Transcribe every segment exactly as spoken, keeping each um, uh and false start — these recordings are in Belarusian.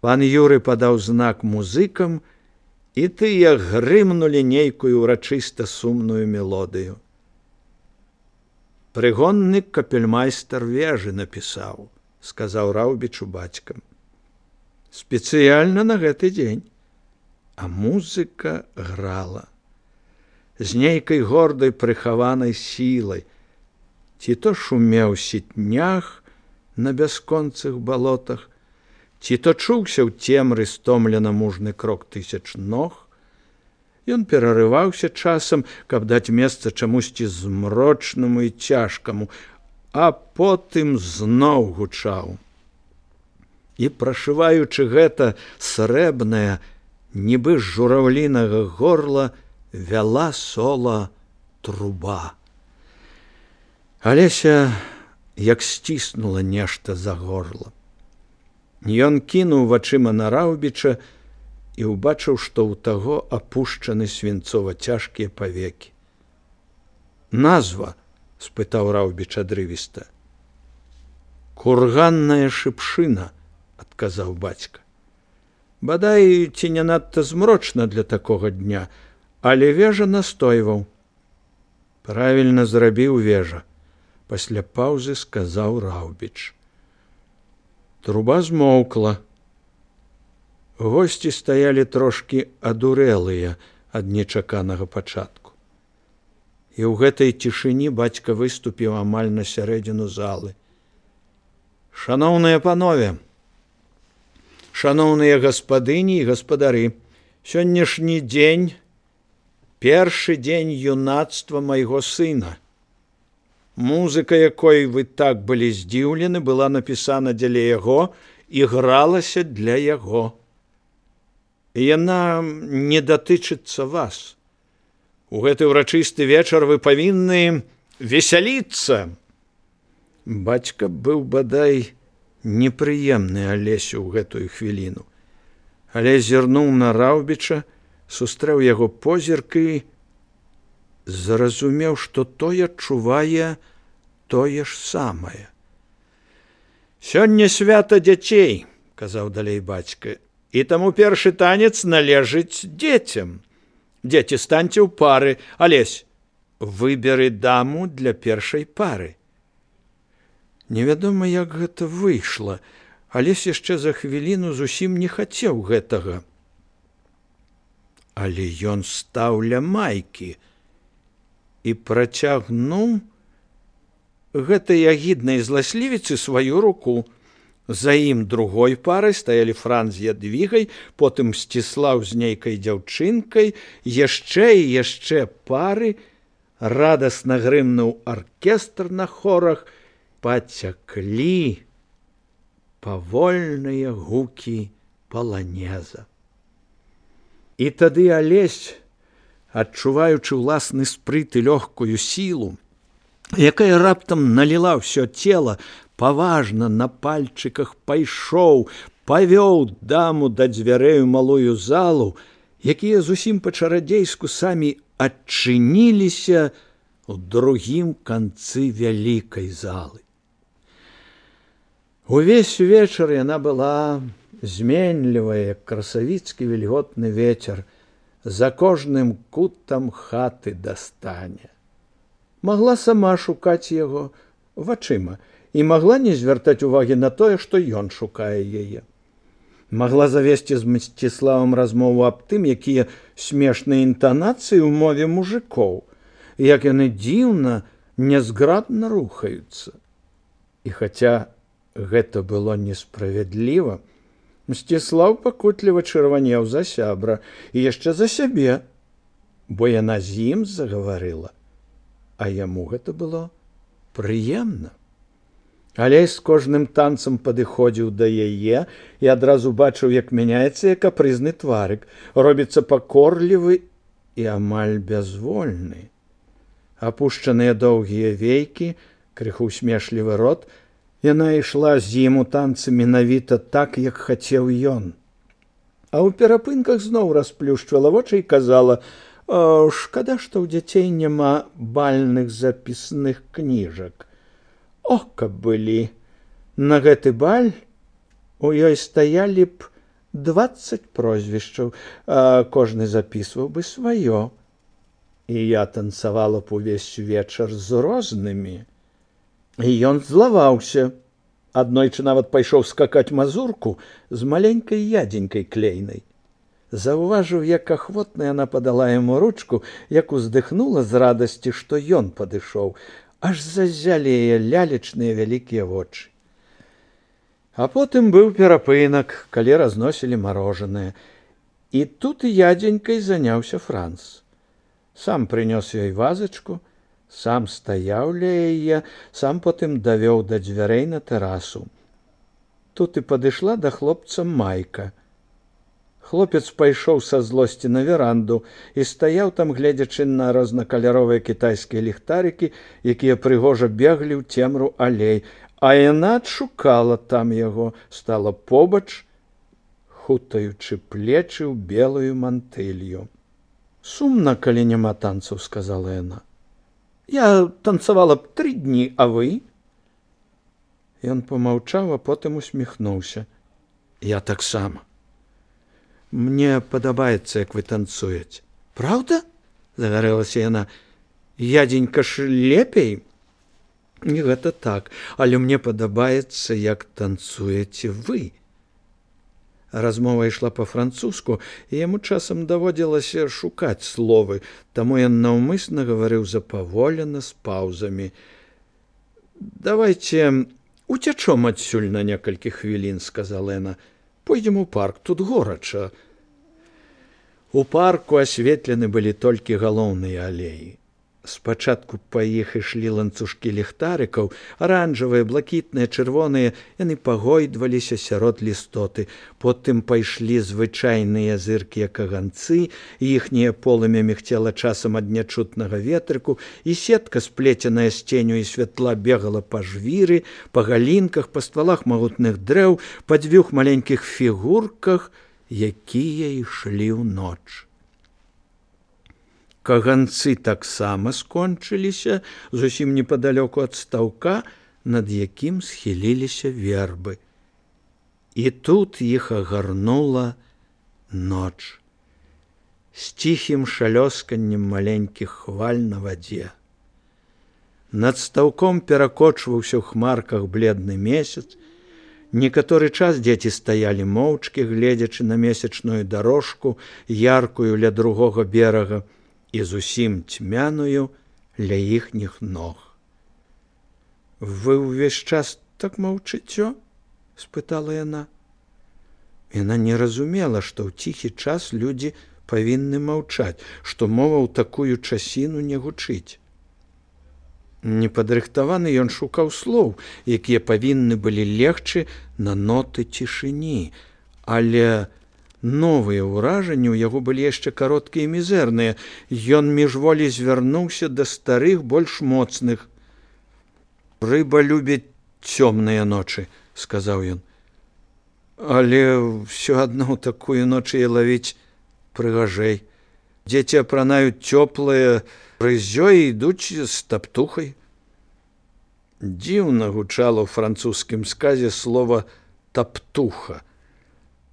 Пан Юры падаў знак музыкам, і тыя грымнулі нейкую ўрачыста сумную мелодыю. «Прыгонны капельмайстар вежы напісаў», – сказаў Раўбічу бацька. «Спецыяльна на гэты дзень». А музыка грала. З нейкай гордай прыхаванай сілай. Ці то шумеў сітнях на бясконцых балотах, ці то чуўся ў цемры стомлена мужны крок тысяч ног. Ён перарываўся часам, каб даць месца чамусьці змрочнаму і цяжкаму, а потым зноў гучаў. І прашываючы гэта срэбнае, нібы з жураўлінага горла, вяла сола труба. Алеся як сціснула нешта за горла. Ён кінуў вачыма на Раўбіча і ўбачыў, што ў таго апушчаны свінцова-цяжкія павекі. «Назва?» – спытаў Раўбіч адрывіста. «Курганная шыпшына», – адказаў бацька. Бадай, ці не надта змрочна для такога дня, але вежа настойваў. «Правільна зрабіў вежа», – пасля паўзы сказаў Раўбіч. Труба змоўкла. Госці стаялі трошкі адурэлыя ад нечаканага пачатку. І ў гэтай цішыні бацька выступіў амаль на сярэдзіну залы. «Шаноўныя панове, шаноўныя гаспадыні і гаспадары, сённяшні дзень – першы дзень юнацтва майго сына. Музыка, якой вы так былі здзіўлены, была напісана дзеля яго і гралася для яго. І яна не датычыцца вас. У гэты ўрачысты вечар вы павінны весяліцца». Бацька быў бадай непрыемны Алесю ў гэтую хвіліну, але зірнуў на Раўбіча, сустрэў яго позірк і зразумеў, што той адчувае тое ж самае. «Сёння свята дзяцей», – казаў далей бацька, – «і таму першы танец належыць дзецям. Дзеці, станьце ў пары. Алесь, выберы даму для першай пары». Невядома, як гэта выйшла. Алесь яшчэ за хвіліну зусім не хацеў гэтага. Але ён стаў ля майкі і працягнуў гэтай агіднай зласлівіцы сваю руку. За ім другой парай стаялі Франц з Ядвігай, потым Сціслаў з нейкай дзяўчынкай, яшчэ і яшчэ пары, радасна грымнуў аркестр на хорах, пацяклі павольныя гукі паланеза. І тады Алесь, адчуваючы ўласны спрыт і лёгкую сілу, якая раптам наліла ўсё цела, паважна на пальчыках пайшоў, павёў даму да дзвярэй у малую залу, якія зусім па-чарадзейску самі адчыніліся ў другім канцы вялікай залы. Увесь вечар яна была зменлівая, як красавіцкі вільготны вецер, за кожным кутам хаты дастане. Магла сама шукаць яго вачыма і магла не звяртаць увагі на тое, што ён шукае яе. Магла завесці з Мсціславам размову аб тым, якія смешныя інтанацыі ў мове мужикоў, як яны дзіўна, нязграбна рухаюцца. І хаця гэта было несправядліва, Мсціслаў пакутліва чырванеў за сябра і яшчэ за сябе, бо яна з ім загаварыла, а яму гэта было прыемна. Алесь з кожным танцам падыходзіў да яе і адразу бачыў, як мяняецца яе капрызны тварык, робіцца пакорлівы і амаль бязвольны. Апушчаныя доўгія вейкі, крыху смешлівы рот, яна ішла з ім у танцы менавіта так, як хацеў ён. А ў перапынках зноў расплюшчвала вочы і казала: «О, шкада, што ў дзяцей няма бальных запісных кніжак. О, каб былі! На гэты баль у ёй стаялі б дваццаць прозвішчаў, а кожны запісваў бы сваё. І я танцавала б увесь вечар з рознымі. І ён злаваўся. Аднойчы нават пайшоў скакаць мазурку з маленькай ядзенькай клейнай. Заўважыў, як ахвотна яна падала яму ручку, як уздыхнула з радасці, што ён падышоў, аж заззялі яе лялечныя вялікія вочы. А потым быў перапынак, калі разносілі марожанае. І тут ядзенькай заняўся Франц. Сам прынёс ёй вазачку, сам стаяў ля яе, сам потым давёў да дзвярэй на тэрасу. Тут і падышла да хлопца Майка. Хлопец пайшоў са злосці на веранду і стаяў там, гледзячы на рознакаляровыя кітайскія ліхтарыкі, якія прыгожа беглі ў цемру алей, а яна адшукала там яго, стала побач, хутаючы плечы ў белую мантылью. «Сумна, калі няма танцаў», — сказала яна. «Я танцавала б тры дні, а вы?» Ён помаўчаў, а потым усміхнуўся. «Я таксама. Мне падабаецца, як вы танцуеце». «Праўда?» — загарэлася яна. «Ядзенька ж лепей?» «Не гэта так, але мне падабаецца, як танцуеце вы». Размова ішла па-французску, і яму часам даводзілася шукаць словы, таму ён наўмысна гаварыў запаволена, з паўзамі. «Давайце уцячом адсюль на некалькі хвілін», — сказала яна. «Пойдзем у парк, тут горача». У парку асветлены былі толькі галоўныя алеі. Спачатку па іх ішлі ланцужкі ліхтарыкаў, аранжавыя, блакітныя, чырвоныя, яны пагойдваліся сярод лістоты. Потым пайшлі звычайныя зыркія каганцы, і іхняе полымя мігцела часам ад нячутнага ветрыку, і сетка, сплеценая з ценю і святла, бегала па жвіры, па галінках, па ствалах магутных дрэў, па дзвюх маленькіх фігурках, якія ішлі ў ноч. Каганцы таксама скончыліся зусім непадалёку ад стаўка, над якім схіліліся вербы. І тут іх агарнула ноч з ціхім шалёсканнем маленькіх хваль на вадзе. Над стаўком перакочваўся ў хмарках бледны месяц. Некаторы час дзеці стаялі моўчкі, гледзячы на месячную дарожку, яркую ля другога берага, і зусім цьмяную ля іхніх ног. «Вы ўвесь час так маўчыцё?» — спытала яна. Яна не разумела, што ў ціхі час людзі павінны маўчаць, што мова ў такую часіну не гучыць. Непадрыхтаваны ён шукаў слоў, якія павінны былі легчы на ноты цішыні, але новыя ўражанні ў яго былі яшчэ кароткія і мізэрныя. Ён міжволі звярнуўся да старых, больш моцных. «Рыба любіць цёмныя ночы», — сказаў ён. «Але ўсё адно ў такую ноч яе лавіць прыгажэй. Дзеці апранаюць цёплае рыззё і ідуць з таптухай». Дзіўна гучала ў французскім сказе слова «таптуха».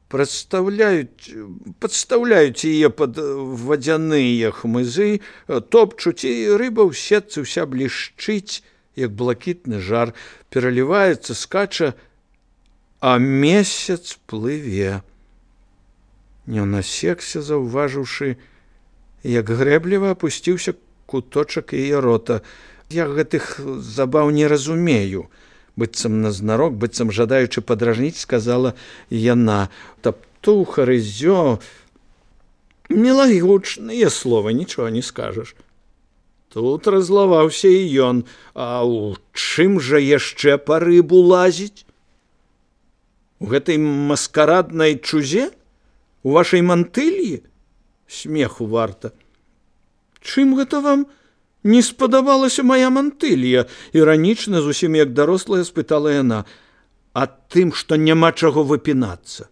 Прадстаўляюць, падстаўляюць яе пад вадзяныя хмызы, топчуць, і рыба ў сетцы ўся блішчыць, як блакітны жар, пераліваецца, скача, а месяц плыве. Ён асекся, заўважыўшы, як грэбліва апусціўся куточак яе рота. «Я гэтых забаў не разумею», быццам назнарок, быццам жадаючы падражніць, сказала яна. «Таптуха, рыззё, мілагучныя словы, нічога не скажаш». Тут разлаваўся і ён. «А ў чым жа яшчэ па рыбу лазіць? У гэтай маскараднай чузе? У вашай мантыльі? Смеху варта». «Чым гэта вам не спадабалася мая мантылья?» Іранічна, зусім як дарослая, спытала яна. «А тым, што няма чаго выпінацца.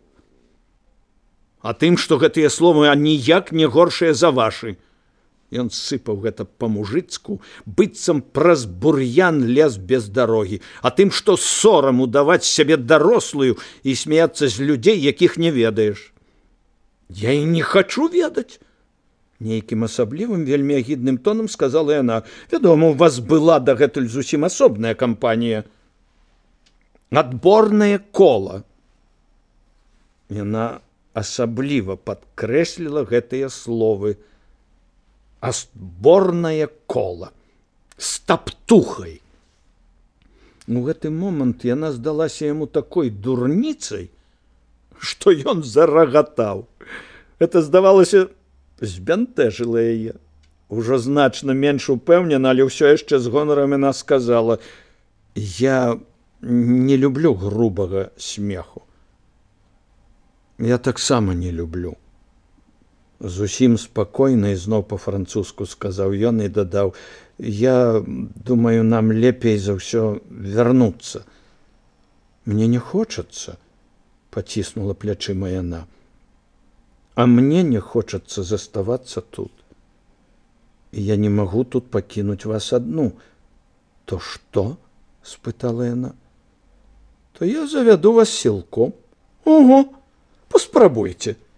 А тым, што гэтыя словы аніяк не горшыя за вашы. Ён сыпаў гэта па-мужыцку, быццам праз бур'ян лез без дарогі, а тым, што сорам удаваць сябе дарослую і смяяцца з людзей, якіх не ведаеш. Я і не хачу ведаць. Нейкім асаблівым, вельмі агідным тонам сказала яна. Вядома, у вас была дагэтуль зусім асобная кампанія. Адборнае кола. Яна асабліва падкрэсліла гэтыя словы. Адборнае кола. З таптухай. У гэты момант яна здалася яму такой дурніцай, што ён зарагатаў. Гэта, здавалася, збянтэжыла яе. Ужо значна менш упэўнена, але ўсё яшчэ з гонарам яна сказала: я не люблю грубага смеху. Я таксама не люблю. Зусім спакойна ізноў па-французску сказаў ён і дадаў: я думаю, нам лепей за ўсё вярнуцца. Мне не хочацца, паціснула плячыма яна. А мне не хочацца заставацца тут. І я не магу тут пакінуць вас адну. То што? Спытала яна. То я завяду вас сілком. Ого, паспрабуйце.